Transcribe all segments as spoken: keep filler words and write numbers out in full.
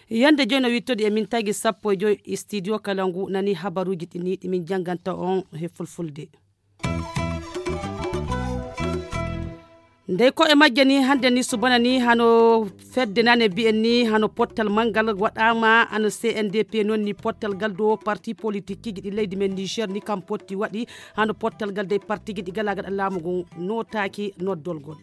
Yande jooni o wittodi e min tagi sappo e joy e studio kala ngu nani habaruuji ɗi ni ɗi min jannganta on he fulfulde. Ndey ko e majje ni hannde ni subana ni hano fedde nane mbiyen ni hano pottal manngal waɗaama hano C N D P noon ni pottal ngal do parti politique ji ɗi leydi men Niger ni kam potti waɗi hano pottal ngal dey parti ji ɗi gala gaɗa laamu ngun nootaaki noddolgol.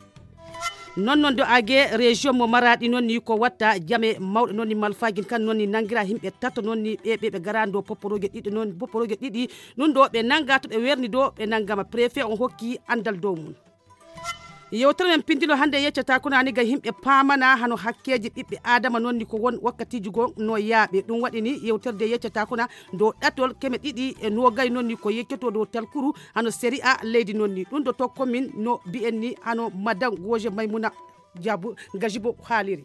Noon noon do age région mo Maradi noon ni ko watta jame mawɗe noon ni malfagin kan noon ni nangira himɓe tato noon ni ɓe ɓe ɓe garani do poporoje ɗiɗi noon poporoje ɗiɗi ɗum do ɓe nanga to ɓe werni do ɓe nangama préfet on hokki andal dow mum. Yewtere men pindilo hannde yeccata kuna ni ga himɓe pamana hano hakkeji ɓiɓɓe adama noon ni ko won wakkatiji go no yaaɓe ɗum waɗi ni yewtere de yeccata kuna do ɗatol keme ɗiɗi e nogay noon ni ko yeccoto dow talkuru hano séri'a leydi noon ni ɗum do tokko min no mbiyen ni hano madan goje maymuna jabu gajibo haaliri.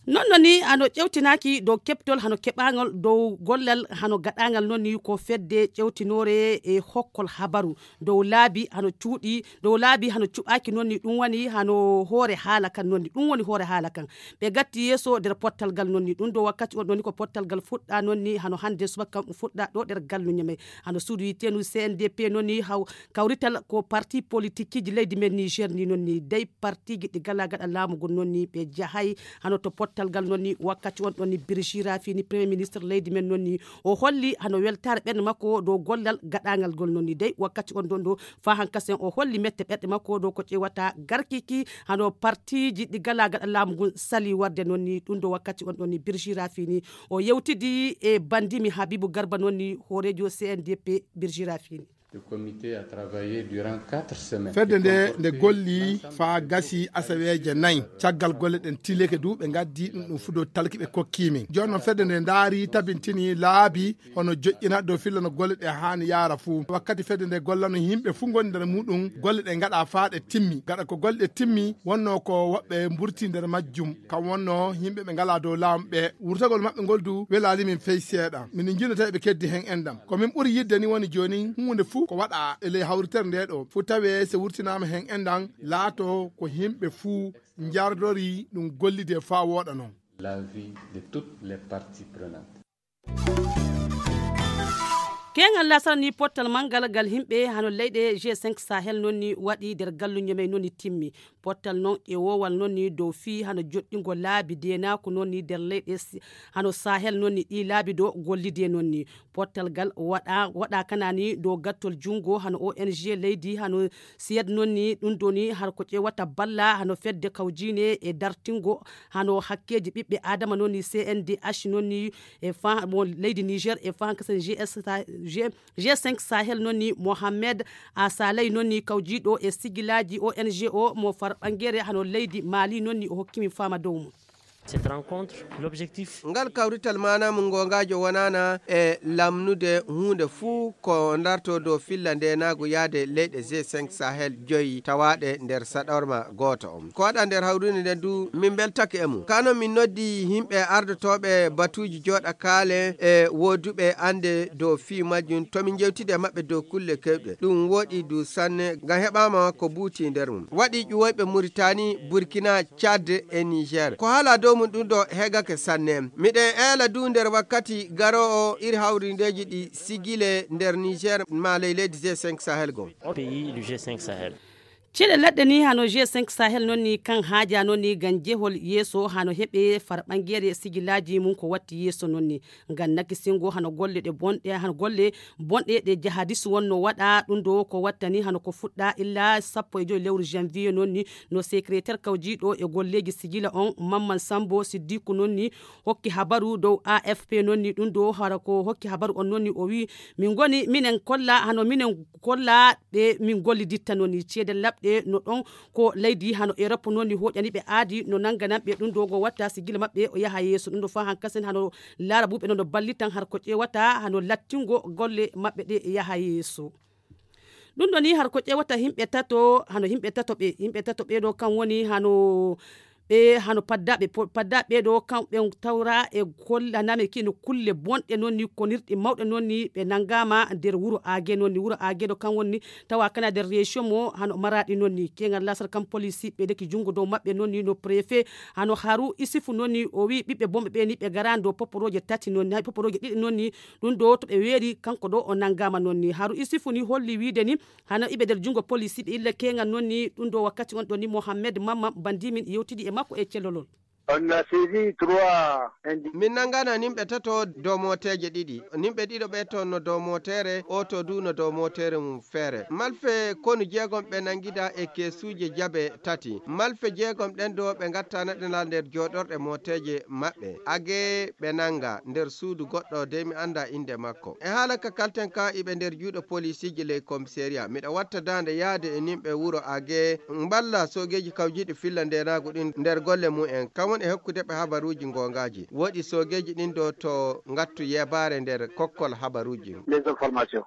Noon no ni hano ƴewtinaaki dow keɓtol hano keɓaangal dow gollal hano gaɗaangal noon ni ko fedde ƴewtinoore e hokkol habaru dow laabi hano cuuɗi dow laabi hano cuɓaaki noon ni ɗum woni hano hoore haala kan noon ni ɗum woni hoore haala kan ɓe gatti yeeso nder pottal ngal noon ni ɗum ɗo wakkati on ɗon ni ko pottal ngal fuɗɗa noon ni hano hannde subaka kam ɗum fuɗɗa ɗo nder galluñe men hano suudu yitteenu C N D P noon ni haw kawrital ko parti politique ji leydi men Niger ni noon ni dey parti ji ɗi gala gaɗa laamu ngun noon ni ɓe jahay hano to pottal ngal noon ni wakkati on ɗon ni Birjira fini premier ministre leydi men noon ni o holli hano weltaare ɓen makko dow gollal gaɗangal ngol noon ni dey wakkati on ɗon ɗo fa hankasen o holli mette ɓerɗe makko dow ko ƴewata garkiki hano partiji ɗi gala gaɗa laamu ngun sali warde noon ni ɗum ɗo wakkati on ɗon ni Birjira fini o yewtidi e bandimi Habibu Garba noon ni hoorejo C N D P Birjira fini. Le comité a travaillé durant quatre semaines. Fedde nde nde golli faa gasi asaweeje nayi caggal golle ɗen tilike du ɓe ngaddi ɗum ɗum fudo talki ɓe kokki min jooni noon fedde nde ndaari tabintini laabi hono joƴƴina dow filla no golle ɗe haani yaara fuu wakkati fedde nde gollano yimɓe fuu ngoni nder muɗum golle ɗe ngaɗa faa ɗe timmi gaɗa ko golle ɗe timmi wonno ko woɓɓe mburti nder majjum kam wonno yimɓe ɓe ngala dow laamu ɓe wurtagol maɓɓe ngol du welaali min fey seeɗa min njinata eɓe keddi hen endam ko min ɓuri yidde ni woni jooni huunde fuu ko waɗa e ley hawritere nde ɗo fuu tawe so wurtinaama hen endam laato ko yimɓe fuu njardori ɗum gollide faa wooɗa noon. La vie de toutes les parties prenantes. Keeŋal lasara ni pottal manngal ngal yimɓe hano leyɗe G cinq Sahel noon ni waɗi nder galluñe men noon ni timmi pottal noon ƴewoowal noon ni dow fii hano joɗɗingo laabi deenaaku noon ni nder leyɗe hano Sahel noon ni ɗii laabi do gollidee noon ni pottal ngal waɗa waɗa kana ni dow gattol junngo hano O N G leydi hano Siyed noon ni ɗum ɗo ni har ko ƴeewata balla hano fedde kawjiine e dartingo hano hakkeeji ɓiɓɓe aadama noon ni C N D H noon ni e fa mo leydi Niger e fa hankasen G S G cinq Sahel noon ni Mohamed Asalay noon ni kawjiiɗo e sigilaaji O N G o mo far ɓangere hano leydi Mali noon ni o hokki min faama dow mum. Cette rencontre, l'objectif. Ngal kawrital maanaam ngongaajo wonaana e lamnude huunde fuu ko ndarto dow filla ndeenaagu yaade leyɗe G cinq Sahel joyi tawaaɗe nder saɗorma gooto on. Ko waɗa nder hawrinde nden du min mbeltake e mum. Kano min noddi yimɓe ardotooɓe batuuji jooɗa kaale e wooduɓe annde dow fii majjum to min njewtide maɓɓe dow kulle kewɗe. Ɗum wooɗi du sanne ngam heɓaama ko buuti nder mum. Waɗi ƴuwoyɓe Muritani, Burkina, Tchad e Niger. Ko haala dow mum ɗum ɗo heegake sanne. Miɗen eela du nder wakkati garoowo iri hawrindeeji ɗi sigile nder Niger maa ley leydi G cinq Sahel goo. Pays du G cinq Sahel. Ciɗe leɗɗe ni hano G cinq Sahel noon ni kan haaja noon ni ngam jehol yeeso hano heɓe far ɓangeere sigilaaji mum ko watti yeeso noon ni. Ngam nakisingo hano golle ɗe bonɗe hano golle bonɗe ɗe jahadis wonno waɗa ɗum ɗo ko wattani hano ko fuɗɗa illa sappo e joy lewru janvier noon ni no secrétaire kawjiiɗo e golleeji sigila on Mamman Sambo Siddiku noon ni hokki habaru dow A F P noon ni ɗum ɗo hara ko hokki habaru on noon ni o wi min ngoni minen kolla hano minen kolla ɓe min golliditta noon ni ceede laɓɗe no ɗon ko leydi hano Europe noon ni hoƴani ɓe aadi no nannganan ɓe ɗum ɗo ngo watta sigila maɓɓe o yaha yeeso ɗum ɗo fa hankasen hano laara buɓe no no ballitan har ko ƴeewata hano lattingo golle maɓɓe ɗe yaha yeeso. Ɗum ɗo ni har ko ƴeewata yimɓe tato hano yimɓe tato ɓe yimɓe tato ɓe ɗo kan woni hano ɓe hano paddaaɓe paddaaɓe ɓeeɗo kamɓe tawra e kolla name kino kulle bonɗe noon ni konirɗe mawɗe noon ni ɓe nanngaama nder wuro aage noon ni wuro aageeɗo kam woni ni tawa kana nder région mo hano maraɗi noon ni keŋal lasar kam police ɓe deki junngo dow maɓɓe noon ni no préfet hano haru isifu noon ni o wi ɓiɓɓe bonɓe ɓe ni ɓe ngaraani dow poporooje tati noon ni hay poporooje ɗiɗi noon ni ɗum ɗo to ɓe weeri kanko ɗo o nanngaama noon ni haru isifu ni holli wiide ni hano iɓe nder junngo police ɓe illa keŋal noon ni ɗum ɗo wakkati on ɗo ni mohammed mamma bandimin yewtidi e makko e cellolol. On a saisi trois individus. Min nanngana nimɓe tato dow mooteeje ɗiɗi. Nimɓe ɗiɗo ɓe toon no dow mooteere, ooto du no dow mooteere mum feere. Malfe konu jeegom ɓe nanngida e keesuuje jabe tati. Malfe jeegom ɗen ɗo ɓe ngatta naɗanal nder jooɗorɗe mooteeje maɓɓe. Agee ɓe nannga nder suudu goɗɗo dey mi annda innde makko. E haala ka kalten ka iɓe nder juuɗe poliisiiji ley komiseeriya. Miɗa watta daande yahde e nimɓe wuro Agee mballa soogeeji kawjiiɗi filla ndeenaagu ɗin nder golle mum en, kam woni e hokkude ɓe habaruuji ngoongaaji. Woɗi soogeeji ɗin ɗo to ngattu yeebaare nder kokkol habaruuji. Les informations.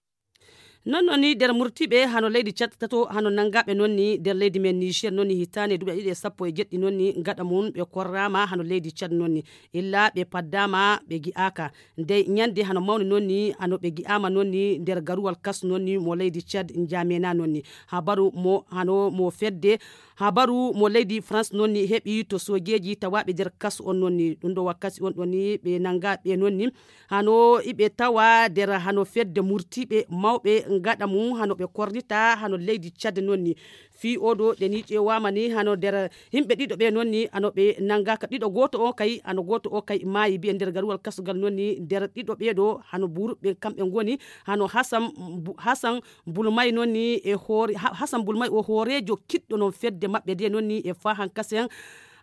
Non non ni nder murtiɓe hano leydi Tchad tato hano nanngaɓe non ni nder leydi men Niger non ni hitaande duuɓi ɗiɗi e sappo e jeɗɗi non ni gaɗa mum ɓe korrama hano leydi Tchad non ni illa ɓe paddama ɓe gi'aka ndey ñande hano mawni non ni hano ɓe gi'ama non ni nder garuwal kas non ni mo leydi Tchad njamena non ni habaru mo hano mo fedde habaru mo leydi France non ni heɓi to sojeji tawaɓe nder kas on non ni ɗum ɗo wakkati on ɗon ni ɓe nanngaɓe non ni hano iɓe tawa nder hano fedde murtiɓe mawɓe ngaɗa mum hano ɓe kornita hano leydi Tchad non ni fii oɗo ɗe ni ƴeewama ni hano nder yimɓe ɗiɗo ɓe non ni hano ɓe nanngaka ɗiɗo gooto o kay hano gooto o kay maayi mbiye nder garuwal kasugal non ni nder ɗiɗo ɓeeɗo hano buruɓe kamɓe ngoni hano hasan hasan bulmay non ni e hoore hasan bulmay o hooreejo kiɗɗo non fedde maɓɓe nde non ni e fahan kasen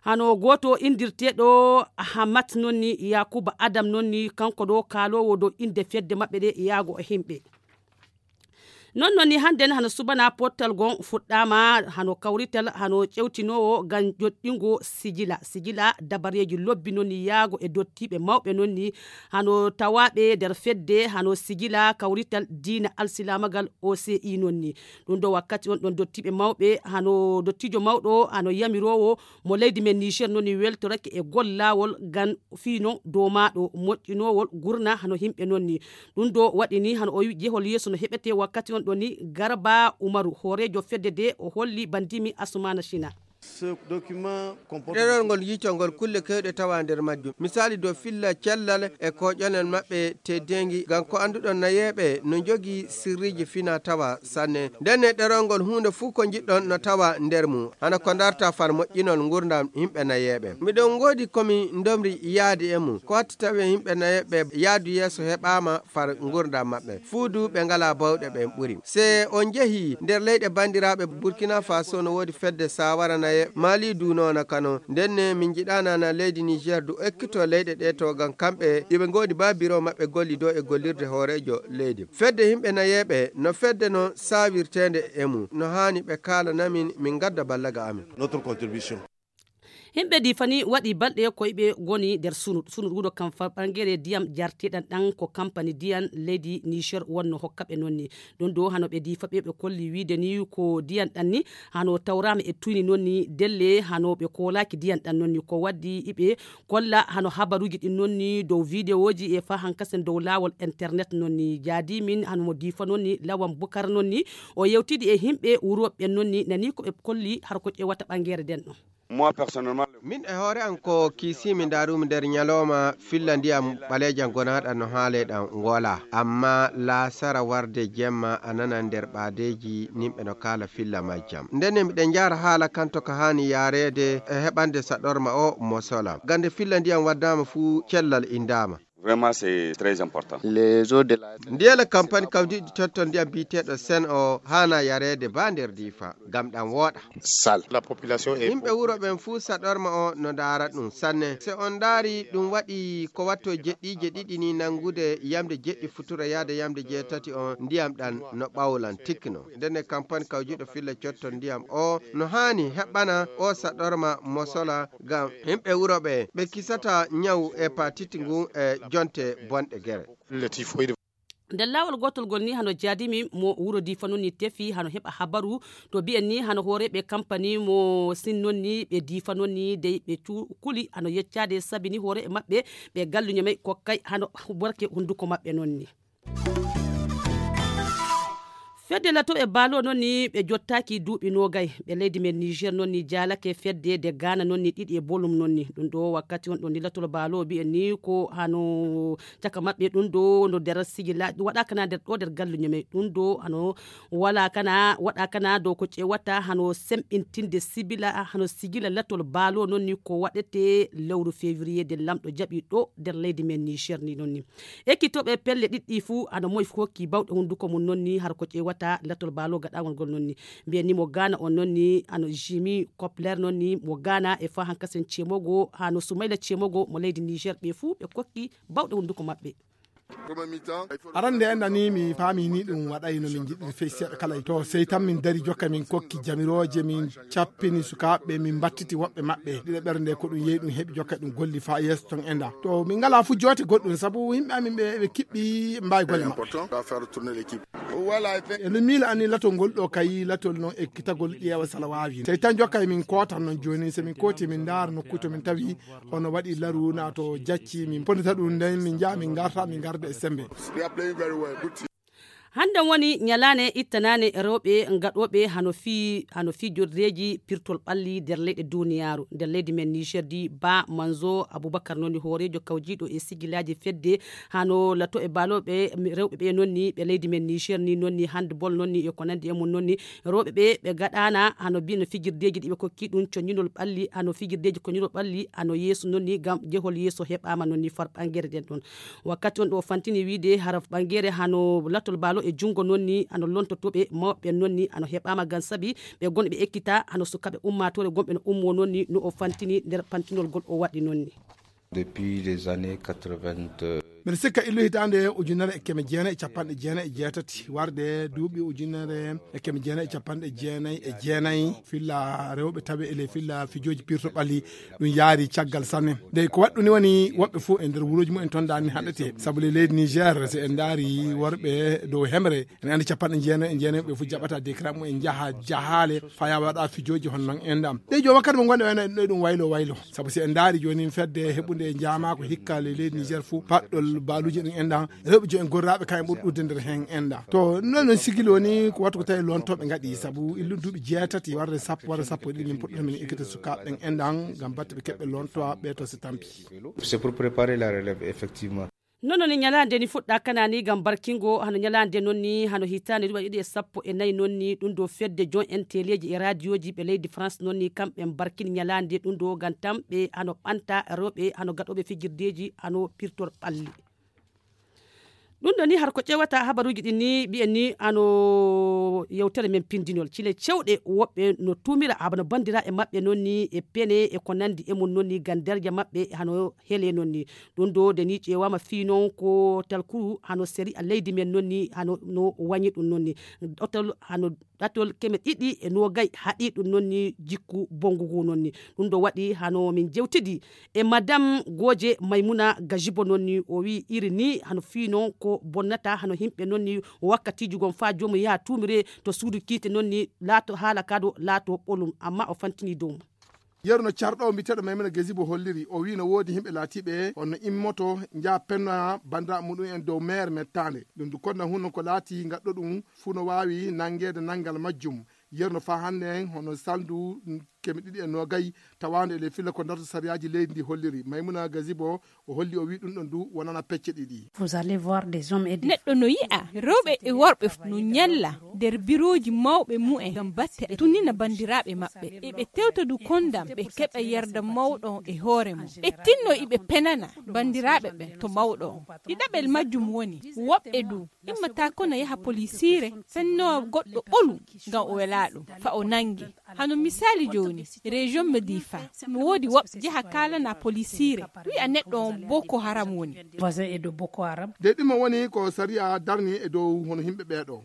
hano gooto inndirteeɗo hamat non ni yakuba adam non ni kanko ɗo kaaloowo dow innde fedde maɓɓe ɗe yaago e yimɓe non non ni hannden hano subana pottal gon fuɗɗaama hano kawrital hano ƴewtinoowo ngam joɗɗingo sijila sijila dabareeji lobbi non ni yaago e dottiiɓe mawɓe non ni hano tawaaɓe nder fedde hano sijila kawrital diina alsilaamagal oci non ni ɗum ɗo wakkati on ɗon dottiiɓe mawɓe hano dottiijo mawɗo hano yamiroowo mo leydi men Niger non ni weltorake e gollawol ngam fii non dow maaɗo moƴƴinoowol gurna hano yimɓe non ni ɗum ɗo waɗi ni hano o wi jehol yeeso no heɓete wakkati on ɗon ni garba umaru hooreejo fedde de o holli bandimi asumana china ɗerol ngol yiitol ngol kulle kewɗe tawa nder majjum misali dow filla cellal e koƴonel maɓɓe teddeengi ngam ko annduɗon nayeeɓe no njogii sirriiji fina tawa sanne ndenne ɗerol ngol huunde fuu ko njiɗɗon no tawa nder mum hano ko ndarta far moƴƴinol ngurdam yimɓe nayeeɓe miɗon ngoodi komi ndomri yaade e mum ko watti tawi yimɓe nayeeɓe yaadu yeeso heɓaama far ngurdam maɓɓe fuu du ɓe ngalaa bawɗe ɓen ɓuri se on njehii nder leyɗe banndiraaɓe burkina faso no woodi fedde sawara nayeeɓe mali du noona kano ndenne min njiɗaana na leydi niger du ekkito leyɗe ɗe to ngam kamɓe iɓe ngoodi ba biro maɓɓe golli dow e gollirde hooreejo leydi fedde yimɓe nayeeɓe no fedde no sawirteende e mum no haani ɓe kaalana min min ngadda ballaga amin notre contribution yimɓe difani waɗi balɗe ko iɓe goni nder sunud sunud wuuro kam fa ɓangere ndiyam jarteɗan ɗan ko kampani ndiyam leydi niger wonno hokkaɓe nonni ɗum ɗo hano ɓe difa ɓe ɓe kolli wiide ni ko ndiyam ɗan ni hano tawrama e tuyni nonni delle hano ɓe kolaki ndiyam ɗan nonni ko waddi iɓe kolla hano habaruji ɗin nonni dow videoji e fa hankasen dow lawol internet nonni jaadi min hano mo difa nonni lawan bukar nonni o yewtidi e yimɓe wuroɓe nonni nani ko ɓe kolli har ko ƴewata ɓangere nden ɗon moi personnellement min e hoore an ko kiisimi ndaarumi nder ñalooma filla ndiyam ɓaleejam gonaaɗam no haaleyɗam ngola amma laasara warde jemma a nanan nder ɓaadeeji nimɓe no kaala filla majjam ndenne miɗen njahra haala kanto ka haani yaareede e heɓande saɗorma o mo sola gande filla ndiyam waddaama fuu cellal indaama vraiment c'est très important les eaux de la ndiyele campagne kawdiɗi totton ndiyam biyeteeɗo sen o haana yareede ba nder difa ngam ɗam wooɗa sal la population est yimɓe wuro ɓen fuu saɗorma o no ndaara ɗum sanne se on ndaari ɗum waɗi ko watto jeɗɗiije ɗiɗi ni nanngude yamde jeɗɗi futura yahde yamde jeetati on ndiyam ɗan no ɓawlan tikkino ndenne campagne kawjuɗo filla cotton ndiyam o no haani heɓɓana o saɗorma mosola ngam yimɓe wuro ɓe ɓe kisata ñaw hepatite ngun e jonte bonɗe gere le typhoïde Nder laawol gootol ngol ni hano jaadimi mo wuro diifa noon ni tefi hano heɓa habaru to mbiyen ni hano hooreeɓe kampani mo sin noon ni ɓe diifa noon ni dey ɓe kuli hano yeccaade sabi ni hooreeɓe maɓɓe ɓe galluño may kokkay hano warke hunnduko maɓɓe noon ni. Fedde lato e baalo noon ni ɓe jottaaki duuɓi noogay ɓe leydi men niger noon ni jaalake fedde de gaana noon ni ɗiɗi e bolum noon ni ɗum ɗo wakkati on ɗo ni latol baalo mbiyen ni ko hano caka maɓɓe ɗum ɗo no nder sigila waɗakana nder ɗo nder galluño men ɗum ɗo hano wala kana waɗakana dow ko ƴewata hano semɓintinde sibila hano sigila latol baalo noon ni ko waɗete lewru février de lamɗo jaɓi ɗo nder leydi men niger ni noon ni ekkitoɓe pelle ɗiɗɗi fuu hano moy fuu hokki bawɗe hunnduko mum noon ni har ko ƴewata latol baalo gaɗawol ngol noon ni mbiyen ni mo gaana on noon ni hano jimi copler noon ni mo gaana e fa hankasen cemogo hano sumayla cemogo mo leydi niger ɓe fuu ɓe kokki bawɗe hunnduko maɓɓe. Arande enda ni mi faami ni ɗum waɗay no min jiɗiri fey seeɗa kala to sey tan min dari jokka min kokki jamirooje min cappini sukaaɓe min mbattiti woɓɓe maɓɓe ɗiɗo ɓernde ko ɗum yehi ɗum heɓi jokka ɗum golli fa yeeso ton enda to min ngala fu joote goɗɗum sabu yimɓe amin ɓe ɓe kiɓɓi mbawi golle maɓɓe. Eno miila anni latol ngol ɗo kayi latol noon ekkitagol ƴeewa sala waawi sey tan jokkay min kootan noon jooni so min kooti min ndaara nokku to min tawi hono waɗi laru na to jacci min pondita ɗum nden min njaha min ngarta min ngarda e sembe. Hannden woni ñalaande ittanaande rewɓe gaɗooɓe hano fii hano fii jordeeji pirtol ɓalli nder leyɗe duuniyaaru nder leydi men niger di ba manzo aboubakar noon ni hooreejo kawjiiɗo e sigilaaji fedde hano lato e baalooɓe rewɓe ɓe noon ni ɓe leydi men niger ni noon ni handbol noon ni e ko nanndi e mum noon ni rewɓe ɓe ɓe gaɗaana hano mbiy no fijirdeeji ɗi ɓe kokki ɗum coññinol ɓalli hano fijirdeeji koññinol ɓalli hano yeeso noon ni ngam jehol yeeso heɓaama noon ni far ɓanngere nden ɗoon wakkati on ɗo fantini wiide hara ɓanngere hano latol baalo e junngo noon ni hano lontotooɓe mawɓe noon ni hano heɓaama ngam sabi ɓe gonɓe ekkita hano sukaaɓe ummaatoore gonɓe no ummoo noon ni no o fantini nder pantinol ngol o waɗi noon ni. Depuis les années quatre-vingt. Mbiɗa sikka illu hitaande ujunere e keme jeenayi e capanɗe jeenayi e jeetati warde duuɓi ujunere e keme jeenayi e capanɗe jeenayi e jeenayi filla rewɓe tawi ele filla fijooji pirto ɓalli ɗum yaari caggal sanne. Dey ko waɗɗu ni woni woɓɓe fof e nder wuroji mumen ton dani haɗete sabu le leydi niger so en daari worɓe dow hemre ene andi capanɗe jeenayi e jeenayi ɓe fof jaɓata décret mumen jaha jahale faya waɗa fijooji hon non endam. Dey jooma kadi mo gonɗe wayno en ɗo ɗum waylo waylo sabu si en daari joni fedde heɓude jaama ko hikka le leydi niger fof paɗɗol baaluji ɗum enɗam rewɓe jooni gorraɓe kayen ɓuri ɗudde nder hen enɗam to non non sigilo ni ko wattu ko tawi lontoɓe gaɗi sabu illu duuɓi jeetati warde sappo warde sappo e ɗiɗi min puɗɗata min ekkita sukaɓe ɓen enɗam gam batte ɓe keɓɓe lontowa ɓe to si tampi. C'est pour préparer la relève, effectivement. Nono ni ñalaande ni fuɗɗa kanani ngam barkingo hano ñalaande noon ni hano hitaande duuɓi ɗiɗi e sappo e nayi noon ni ɗum ɗo fedde jon en teleeji e raadiyoji ɓe leydi france noon ni kamɓe mbarkini ñalaande ɗum ɗo ngam tamɓe hano ɓanta rewɓe hano gaɗooɓe fijirdeeji hano pirtor ɓalli. Ɗum ɗo ni har ko ƴewata habaruuji ɗin ni mbiyen ni ano yewtere men pindinol cile cewɗe woɓɓe no tumira haba no bandiraɓe maɓɓe noon ni e pene e ko nandi e mum noon ni ganderja maɓɓe hano hele noon ni. Ɗum ɗo de ni ƴewama fii noon ko talkuru hano seri a leydi men noon ni hano no wañi ɗum noon ni ɗotol hano ɗatol keme ɗiɗi e nogay haɗi ɗum noon ni jikku bongugu noon ni. Ɗum ɗo waɗi hano min jewtidi e madame gooje maymuna gajibo noon ni o wi iri ni hano fii noon ko bonnata hano yimɓe noon ni wakkatiiji gon faa joomum yaha tuumire to suudu kiite noon ni laato haala kaado laato ɓolum amma o fantini dow mum. Yeru no carɗo o mbiteɗo maymuna gajibo holliri o wi no woodi yimɓe laatiɓe honno immoto njaha penna bandiraɓe muɗum en dow meere mettaande ɗum du konna hunno ko laati gaɗɗo ɗum fuu no waawi nanngeede nanngal majjum. Yerno faa hannde en hono salndu keme ɗiɗi e noogay tawaande e ley filla ko darto sariyaaji leydi ndi holliri maymuna gazibo o holli o wii ɗum ɗon du wonana pecce ɗiɗi. Neɗɗo no yi'a rewɓe e worɓe no ñalla nder birooji mawɓe mumen ngam batte tunnina banndiraaɓe maɓɓe e ɓe tewta du konndam ɓe keɓa yerda mawɗo e hoore mum ɓe tinno iɓe penana banndiraaɓe ɓen to mawɗo on. Ɗiɗaɓel majjum woni woɓɓe du immataa kono yaha polisiire fennowa goɗɗo ɓolu ngam o welaa ɗum fa o nannge. Hano misaali jooni region medifa no woodi woɓɓe jeha kaalana polisiire wi'a neɗɗo on boko haram woni. De ɗimo woni ko sariya darni e dow hono himɓe ɓeeɗo.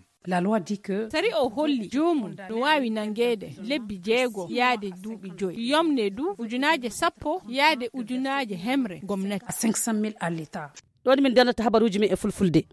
Sariya o holli joomum no waawi nanngeede lebbi jeego yaade duuɓi joyi yomne du ujunaaje sappo yaade ujunaaje hemre gomnati. Ɗo ɗi min darnata habaruuji men e fulfulde.